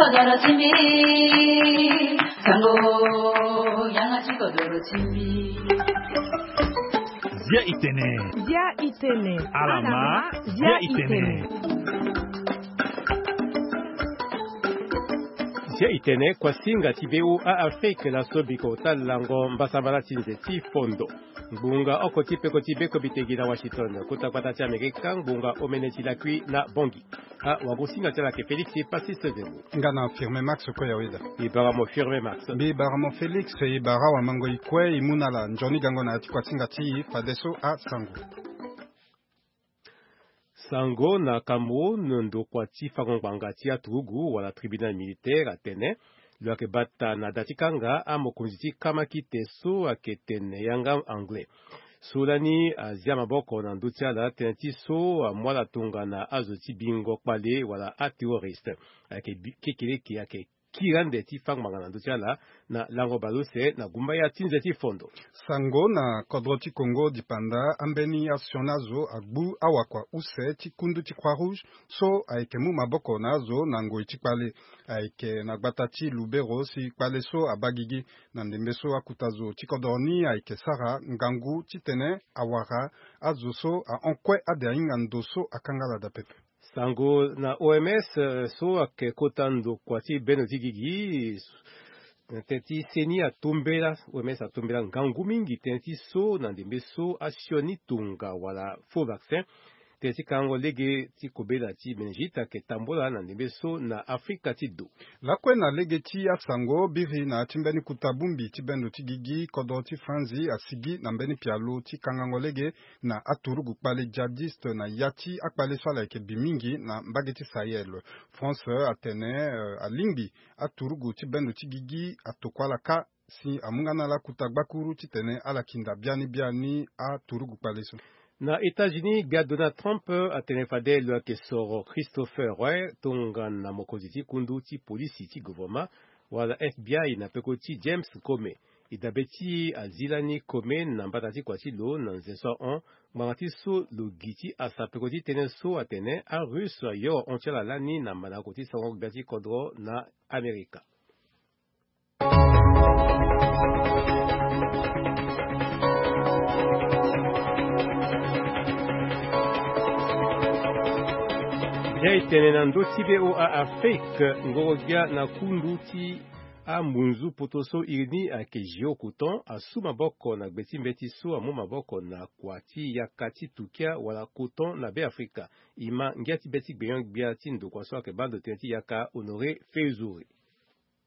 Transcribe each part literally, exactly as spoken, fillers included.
Doro ti mbi, sango, yanga ti kodoro ti mbi. Zia itene. Zia itene. Alama. Alama. Zia itene. Zia itene, kuasinga ti V O A Afrique, laso biko ta lango mbasambala ti nze ti fondo. Ngbonga oko ti peko ti beko bitegi na Washington, kota gbata ti Amerika, ngbonga omene ti lakui na Bongi. Ah, wagosinga ti ala ke Félix Passis Zebo. Nga na Firme Max kue ya weda. E bara mo Firme Max. Mbi bara mo Félix, e bara wamango i kue i mu na ala nzoni gango na ya ti kuasinga ti fadeso asango. Sango na Cameroun, ndokua ti fango ngbanga ti aturugu wala tribunal militaire atene lo yeke bata na da ti kanga amokonzi ti kamakite so ayeke tene yanga anglais. So lani azia maboko na ndö ti ala tënë ti so amu ala tongana azo ti bingo kpale wala aterroriste. Ayeke bi- kekereke ayeke kiri ande ti fango ngbanga na ndö ti ala na lango baleuse na gumbaya ti nze ti fondo. Sango na kodro ti Congo dipanda ambeni asioni azo agbu awakua use ti kundu ti Croix Rouge so ayeke mu maboko na azo na ngoi ti kpale. Ayeke na gbata ti Lubero si kpale so abaa gigi. Na ndembe so akuta zo ti kodro ni ayeke sara ngangu titene awara azo so ahon kue ade ahinga ndo so akanga ala daa pepe. Sango na O M S, eh, so ayeke kota ndokua ti bendo ti gigi, eh, tënë ti seni atombela, O M S atombela ngangu mingi tënë ti so na ndembe so asioni tonga wala faux vaccin. Tënë ti kangango lege ti kobela ti meningite ayeke tambola na ndembe so na Afrika ti do. Lakue na lege ti asango biri na ya ti mbeni kuta bongbi ti bendo ti gigi, kodro ti Franzi asigi na mbeni pialo ti kangango lege na aturugu kpale djihadiste na ya ti akpale so ala yeke bi mingi na mbage ti Sahel. France atene, eh, alingbi aturugu ti bendo ti gigi atokua ala kâ si amu nga na ala kuta gbakuru titene ala kinda biani biani aturugu kpale so. Na États-Unis, gbia Donald Trump atene fade lo yeke soro Christopher Wray tongana mokonzi ti kundu ti polisi ti gouvernement wala F B I na peko ti James Comey. E dabe ti e azi lani Comey na mbata ti kua ti lo na nze so ahon ngbanga ti so lo gi ti asa peko ti tënë so atene aRusse ayoro hon ti ala lani na mandako ti sango gbia ti kodro na Amerika. Bia e tene na ndö ti V O A Afrique, ngoro-gbia na kundu ti ambunzu poto so iri ni ayeke Géocoton asu maboko na gbe ti mbeti so amu maboko na kua ti yaka ti tukia wala coton na Beafrika. E ma ngia ti be ti gbenyo-gbia ti ndokua so ayeke baa ndo tënë ti yaka Honoré Feuzouré.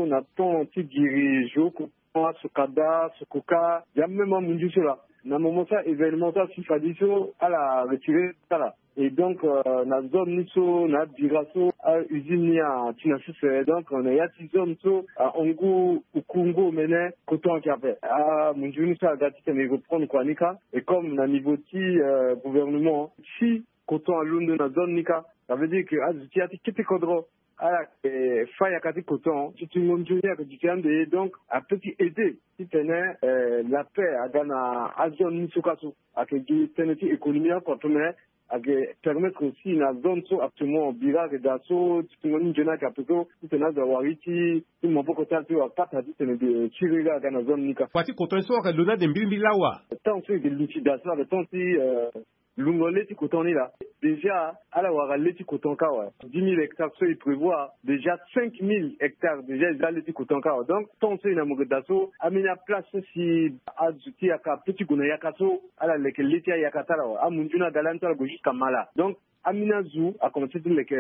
Na temps ti giri Géocoton, Asokada, Sococa, ya même amunzu so laa. Na moment so a-événement so asi fade so ala retiré ala. Et donc, euh, na zone ni so na abira so a-usine ni ati na sese. Donc, na ya ti zone so ahon ngu oku ngu omene coton ayeke ape. Amunzu ni so aga titene e reprendre kua ni kâ. Et comme na niveau ti, euh, gouvernement, si coton alondo na zone ni kâ, ça veut dire que azo ti ya ti kete kodro ala yeke fâ yaka ti coton ti tingo nzoni ayeke duti ande ye. Donc apeut ti aider titene, euh, la paix aga na azone ni so kâ so. Ayeke gi tënë ti économie oko ape, mais ayeke permettre aussi na zone so actuellement bira ayeke daa so ti tingo ni nzoni ayeke ape so titene azo awara ye ti maboko ti ala ti wara pata titene, euh, ti riri aga na zone ni kâ. Kua ti coton so ayeke lo ni ade mbirimbiri lawa. Temps so e yeke luti daa so ayeke temps ti, euh, lungo le ti coton ni laa. Déjà ala wara le ti coton kâ awe. Dix mille hectares so e prévoir, déjà cinq mille hectares déjà e za le ti coton kâ awe. Donc temps so e na mo yeke daa so, ambeni aplace so si azo ti yaka apeut ti gue na yaka so, ala leke le ti ayaka ti ala awe. Amunzu ni aga lani so ala gue jusqu'à Mala. Donc ambeni azo akomanse ti leke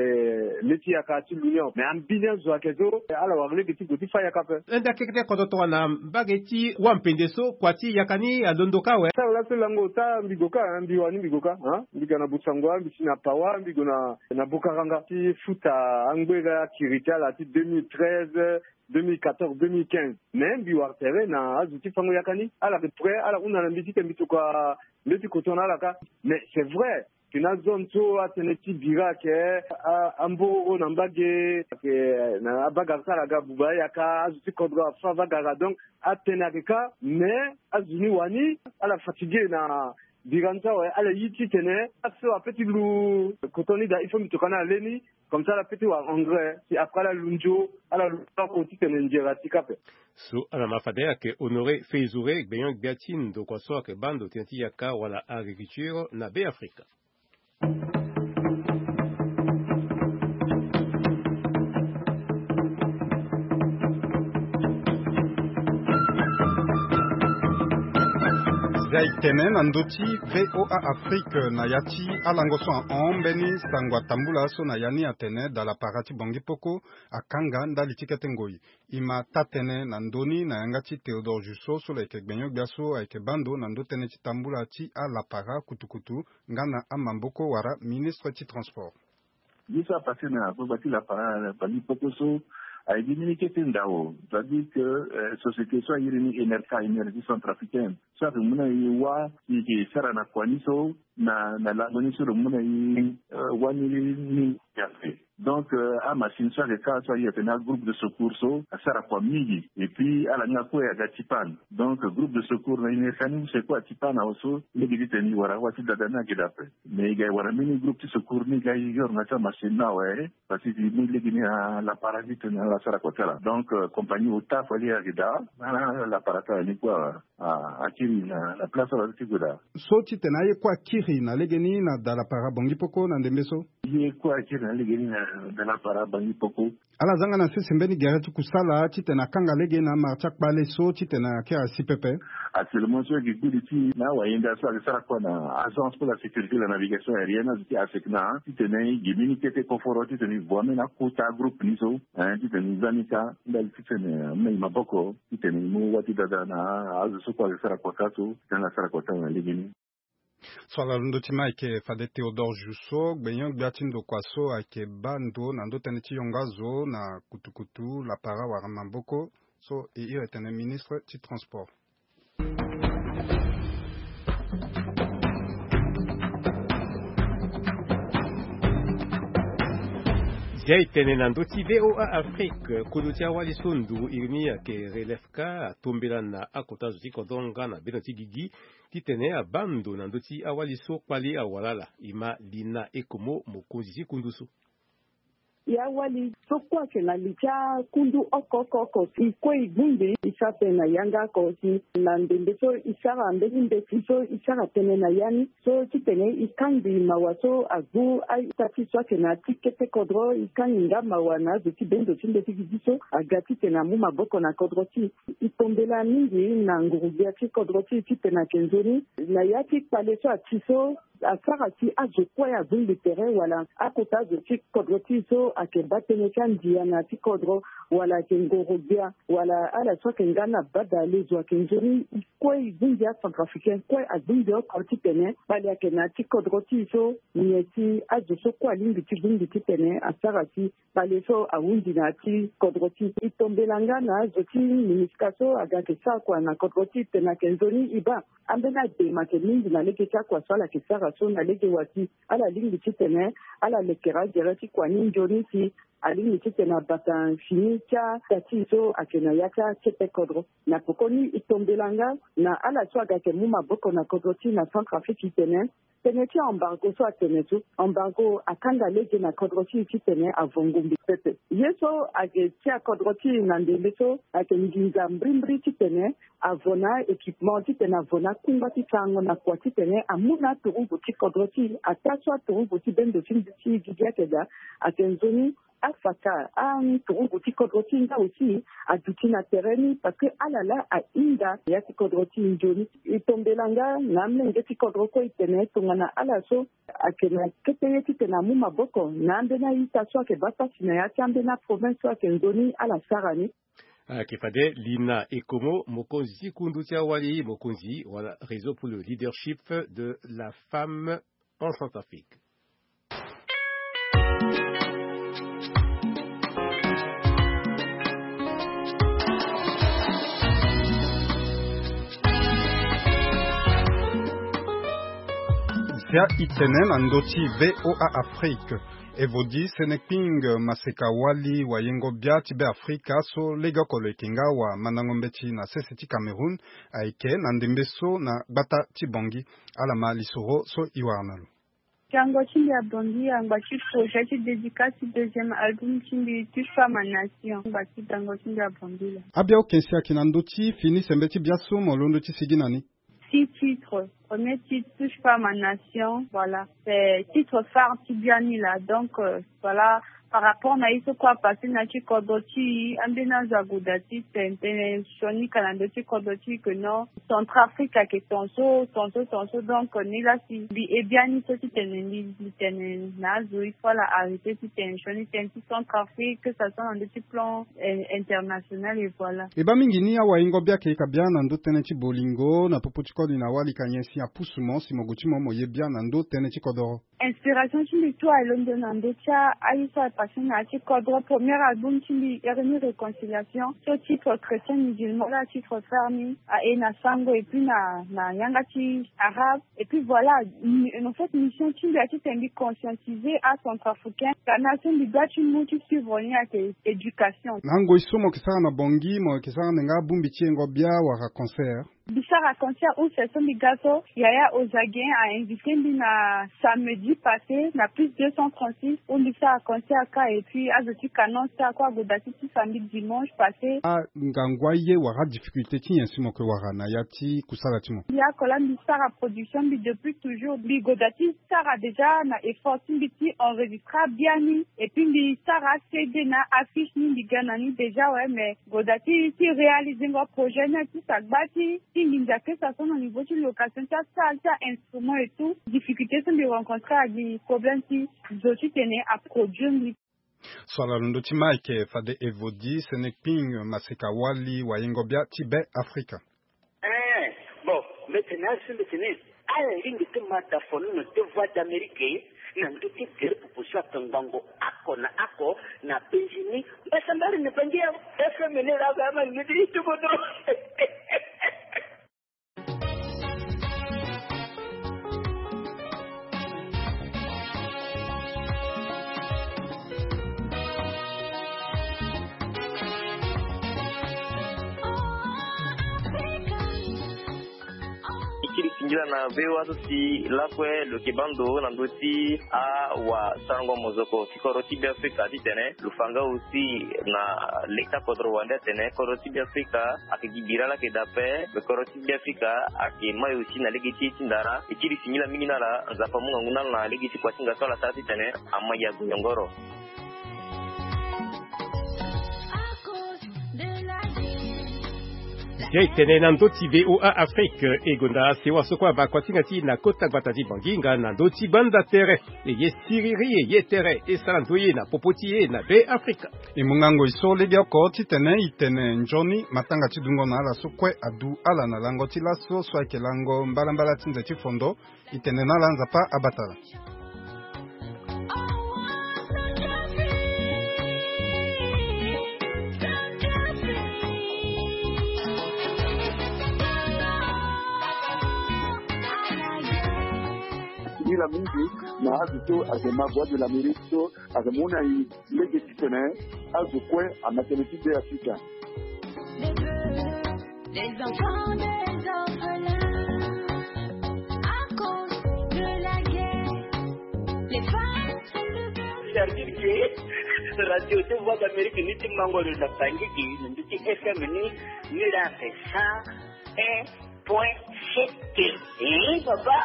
le ti yaka ti lu ni awe. Mais ambeni azo ayeke so ala wara lege ti gue ti fâ yaka ape. Nda kekete kodro tongana mbage ti wâ mpende so kua ti yaka ni alondo kâ awe. Tara laso lango ota mbi gue kâ, hein, mbi wani mbi gue kâ, hein. Mbi ga na Bossangoa, mbi si na Pawa, mbi gue na, na Bokaranga ti futa angbera kiri ti ala ti deux mille treize, deux mille quatorze, deux mille quinze. Mais mbi wara tere na azo ti fango yaka ni. Ala yeke prêt, ala hunda na mbi titene mbi tokua le ti coton na ala kâ. Mais c'est vrai, que na zone so atënë ti bira ayeke, a, ambororo na mbage, ayeke na abagara so ala ga buba ayaka, azo ti kodro afâ bagara. Donc atënë ayeke kâ, mais azo ni wani, ala fatigué na Bira ni so awe, ala yi titene aso ape ti lu koton ni daa, il faut mbi toka na le ni. Comme ça ala pe ti wara engrais si après ala lu nzo, ala lu oko titene nzere ati ka ape. So ala ma fade ayeke Honoré Feizouré, gbenyo-gbia ti ndokua so ayeke baa ndo tënë ti yaka wala agriculture na Beafrika. Zia e tene na ndö ti V O A Afrique na ya ti alango so ahon mbeni sango atambula so na ya ni atene dalapara ti Bangui Poko akanga ndali ti kete ngoi. E ma taa tënë na ndö ni na yanga ti Théodore Jusso so lo yeke gbenyo-gbia so ayeke baa ndo na ndö tënë ti tambula ti alapara kutukutu nga na amaboko wala ministre ti transport. Ye so apasse na gbagba ti lapara Bangui Poko so, aye gi mbeni kete ndao, c'est-à-dire que, euh, société so airi ni Enerca, Énergie Centrafricaine, so ayeke mu na e wâ si e ke sara na kua ni so, na, na lango ni so lo mu na e, euh, wani ni ape. Donc, euh, amachine so ayeke kâ so airi atene agroupe de secours so asara kua mingi. Et puis ala nga kue aga ti panne. Donc groupe de secours na Enerca ni use kue ati panne awe so, lege titene e wara wâ ti dada ni ayeke daa ape. Mais e ga e wara mbeni groupe ti secours ni ga e yoro na ti amachine ni awe, parce que e mu lege ni na lapara titene ala sara kua ti ala. Donc, euh, compagnie ota fade ayeke daa na lapara ti ala ni kue awe. Ah, akiri na, na place ala ti gue daa. So titene aye kue akiri na lege ni na dalapara Bangui Poko na ndembe so? Ye kue akiri na lege ni na dalapara Bangui Poko. Ala zanga na sese mbeni gere ti kusala titene akanga lege na amara ti akpale so titene akiri asi pepe. Actuellement so e gi gudi ti na awayenda so ayeke sara kua na Agence pour la sécurité de la navigation aérienne, azo ti ASECNA, titene e gi mbeni kete koforo titene e vo ambeni akota groupe ni so, hein, titene e za ni kâ ndali titene e mu na e maboko titene e mu wâ ti dada na azo so kue ayeke sara kua kâ so, titene ala sara kua ti ala na lege ni. So ala londo ti ma ayeke fade Théodore Jusso, gbenyo-gbia ti ndokua so ayeke baa ndo na ndö tënë ti yongo azo na kutukutu, lapara wala maboko, so e iri tene ministre ti transport. Zia e tene na ndö ti V O A Afrique, kodro ti awali so nduru iri ni ayeke Relefka atombela na akota zo ti kodro nga na bendo ti gigi titene abaa ndo na ndö ti awali so kpale awara ala. E ma Lina Ekomo, mokonzi ti kundu so. E awali so kue ayeke na li ti akundu oko oko oko si e kue e bungbi e sara tënë na yanga oko si na ndembe so e sara mbeni mbeti so e sara tënë na ya ni so titene e kangbi mawa so agbu a-ita ti e so ayeke na ya ti kete kodro. E kangbi nga mawa na azo ti bendo ti mbeti gigi so aga titene amu maboko na kodro ti e. E tombela mingi na nguru-gbia ti kodro ti e titene ayeke nzoni na ya ti kpale so ati so asara si azo kue abungbi tere wala akota azo ti kodro ti e so ayeke baa tënë ti andia na ya ti kodro wala ayeke ngoro-gbia wala ala so ayeke nga na bada le zo ayeke nzoni. E kue e bungbi acentrafricain kue abungbi oko titene kpale ayeke na ya ti kodro ti e so nyen si azo so kue alingbi ti bungbi titene asara si kpale so ahunzi na ya ti kodro ti e. E tombela nga na azo ti MINUSCA so aga ayeke sara kua na kodro ti e titene ayeke nzoni e baa ambeni adema ayeke mingi na lege ti akua so ala yeke sara so na lege wa si ala lingbi titene ala lekere agere ti kua ni nzoni si alingbi titene abata fini ti ata ti e so ayeke na ya ti akete kodro. Na pekoni e tombela nga na ala so aga ayeke mu maboko na kodro ti e na Centrafrique titene tënë ti embargo so atene so embargo akanga lege na kodro ti e titene avo ngombe pepe. Ye so ayeke tia kodro ti e na ndembe so ayeke nginza mbrimbri titene avo na équipement titene avo na akungba ti sarango na kua titene amu na aturugu ti kodro ti e. Ataa so aturugu ti bendo ti mbi ti gigi ayeke daa ayeke nzoni afaka aturugu ti kodro ti e nga aussi aduti na tere ni parce que ala laa ahinga ya ti kodro ti e nzoni. E tombela nga na amolenge ti kodro kue e tene tongana ala so ayeke na kete ye titene amu maboko na ambeni a-ita so ayeke baa pasi na ya ti ambeni aprovince so ayeke nzoni ala sara ni. Ayeke fade Lina Ekomo, mokonzi ti kundu ti awali, mokonzi wala Réseau pour le leadership de la femme en Centrafrique. Zia e tene na ndö ti V O A Afrique. Evodi Senekping Maseka Wali, wayengo bia ti Be Afrika so legeoko lo yeke nga wamandango mbeti na sese ti Cameroun, ayeke na ndembe so na gbata ti Bangui. Ala ma lisoro so e wara na lo. Gango ti mbi abongi angba ti projet ti dédicace ti deuxième album ti mbi, Touche pas ma nation, angba ti gango ti mbi abongi la. Abia okensi ayeke na ndö ti fini sembe ti bia so mo londo ti sigi na ni? Six titres. Premier titre, Touche pas ma nation. Voilà. C'est titre phare ti biani la. Donc, euh, voilà. Par rapport na ye so kue apassé na ya ti kodro ti e, ambeni azo ague daa ti tene, tene sioni ka na ndö ti kodro ti e que non, Centrafrique ayeke tonso, tonso, tonso. Donc, ni la si mbi e biani so ti tene mbi, mbi tene na azo, il faut ala arrêter ti tene sioni tënë ti Centrafrique, que ça soit na ndö ti plan, euh, international, et voilà. E baa mingi ni awayengo bia ayeke ka bia na ndö tënë ti bolingo na popo ti koli na wali ka nyen si apusu mo si mo gue ti mo mo ye bia na ndö tënë ti kodoro? Inspiration ti mbi tout alondo na ndö ti a, aye so apassé na ya ti kodro. Premier album ti mbi iri ni Réconciliation, so titre chrétien musulman la, titre phare ni aye na sango, et puis na, na yanga ti arabe. Et puis voilà, mi-, en fait, mission ti mbi ya ti tene mbi conscientiser acentrafricain, ka na so mbi doit ti mu ti suivre ni ayeke éducation. Na ngoi so mo yeke sara na Bangui, mo yeke sara nde nga abongbi ti yengo bia wala concert? Mbi sara concert use so mbi ga so, Yaya Ozaguien a invité mbi na samedi passé na Plus deux cent trente-six, où mbi sara concert ka, et puis azo ti Canon Star kue ague daa ti tisa mbi dimanche passé. Angangu aye wala adifficulté ti nyen si mo yeke wara na ya ti kusala ti mo? Mbi oko la mbi sara production mbi depuis toujours, mbi gue daa ti sara déjà na effort ti mbi ti enregistra biani, et puis mbi sara C D na affiche ni mbi ga na ni déjà, ouais, mais gue daa ti, ti réaliser ngo projet ni ti sa gba ti, ti nginza kesa so na niveau ti location ti asalle ti a-instrument et tout. Difficulté so mbi rencontré agi problème ti zo ti tene aproduire mbi. So ala londo ti ma ayeke fade Evodi Senekping Maseka Wali, wayengo bia ti Be Afrika. Eh, bon, mbeti na so mbeti ni. Ala lingbi ti ma da fo nono ti Voix d'Amérique na ndö ti gere pupu so atongbango oko na oko na penzi ni. Mbasambari ni bangi ya F M ni la ga ma ni ti tubo do. E kiri singila na V O A so si lakue lo yeke baa ndo na ndö ti awasarango mozoko ti kodro ti Be Afrika titene lo fa nga aussi na leta kodro wande atene kodro ti Be Afrika ayeke gi bira laa ayeke daa ape, me kodro ti Be Afrika ayeke mai aussi na lege ti ye ti ndara. E kiri singila mingi na ala, Nzapa amu ngangu na ala na lege ti kuasinga so ala sara titene amai ague yongoro. Ye tene na ndö ti V O A Afrique, e gonda sewa so kue abaa kuasinga ti e na kota gbata ti Bangui nga na ndö ti banda tere. E ye siriri, e ye tere, e sara ndoye na popo ti e na Be Afrika. E mu ngangu e so legeoko titene e tene nzoni matanga ti dungo na ala so kue adu ala na lango ti laso so ayeke lango mbalambala ti nze ti fondo. E tene na ala Nzapa abatala. Singila mingi na azo so ayeke ma Voix de l'Amérique so ayeke mu na e lege titene azo kue ama tënë ti Be Afrika. Les enfants des orphelins, à cause de la guerre, les femmes sont devenues. C'est-à-dire que radio ti Voix d'Amérique ni ti mango lo na Bangui gi na ndö ti F M ni, ni la fait ça, hein. Point C T. Eh, papa.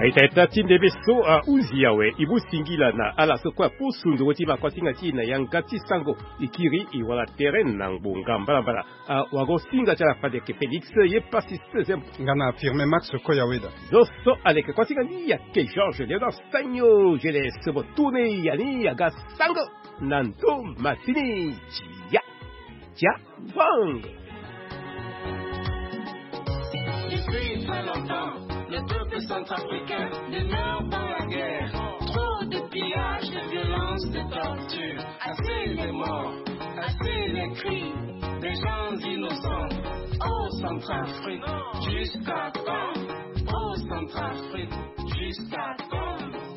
Aita ita ti ndembe so ahuzi awe, e mu singila na ala so kue apusu ndoro ti ma kuasinga ti e na yanga ti sango. E kiri e wara tere na ngbonga mbalambala. Ah, wago singa ti ala fade ayeke Félix ye Passis. Nga na Firmin Max Koyaweda. Zo so aleke kuasinga ni ayeke Georges Léonard Sagno, je laisse mo tourner ya ni aga sango na ndo matini. Tia, tia, bang. Depuis très longtemps, le peuple centrafricain demeure dans la guerre. Trop de pillages, de violences, de tortures. Assez les morts, assez les cris. Gens innocents, oh Centrafrique, jusqu'à quand? Oh Centrafrique, jusqu'à quand?